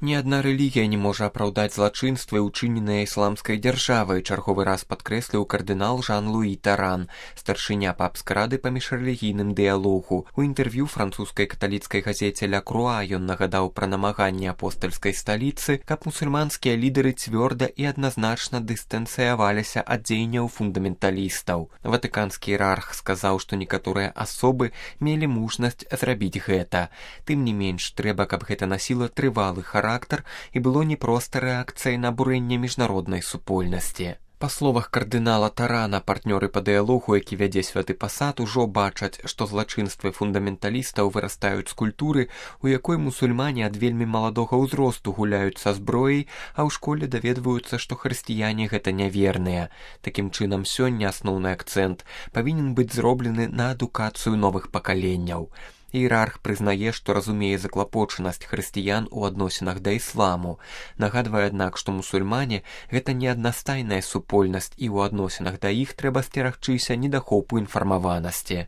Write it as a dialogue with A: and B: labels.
A: Ні адна рэлігія не можа апраўдаць злачынствы, учыненыя ісламскай дзяржавай, чарговы раз падкрэсліў кардынал Жан-Луі Таран, старшыня папскай рады па міжрэлігійным дыялогу. У інтэрв'ю французскай каталіцкай газеце «Ля Круа» ён нагадаў пра намаганні апостальскай сталіцы, каб мусульманскія лідары цвёрда і адназначна дыстанцыяваліся ад дзеянняў фундаменталістаў. Ватыканскі іерарх сказаў, што некаторыя асобы мелі мужнасць зрабіць гэта. Тым не менш, трэба, каб гэта насіла трывалы характар і было не проста рэакцыяй на абурэнне міжнароднай супольнасці. Па словах кардынала Тарана, партнёры па дыялогу, які вядзе святы пасад, ужо бачаць, што злачынствы фундаменталістаў вырастаюць з культуры, у якой мусульмане ад вельмі маладога ўзросту гуляюць са зброяй, а ў школе даведваюцца, што хрысціяне гэта няверныя. Такім чынам, сёння асноўны акцэнт павінен быць зроблены на адукацыю новых пакаленняў. Іерарх прызнае, што разумее заклапочанасць хрысціян у адносінах да ісламу. Нагадвае, аднак, што мусульмане – гэта не аднастайная супольнасць і ў адносінах да іх трэба сцерагчыся недахопу інфармаванасці.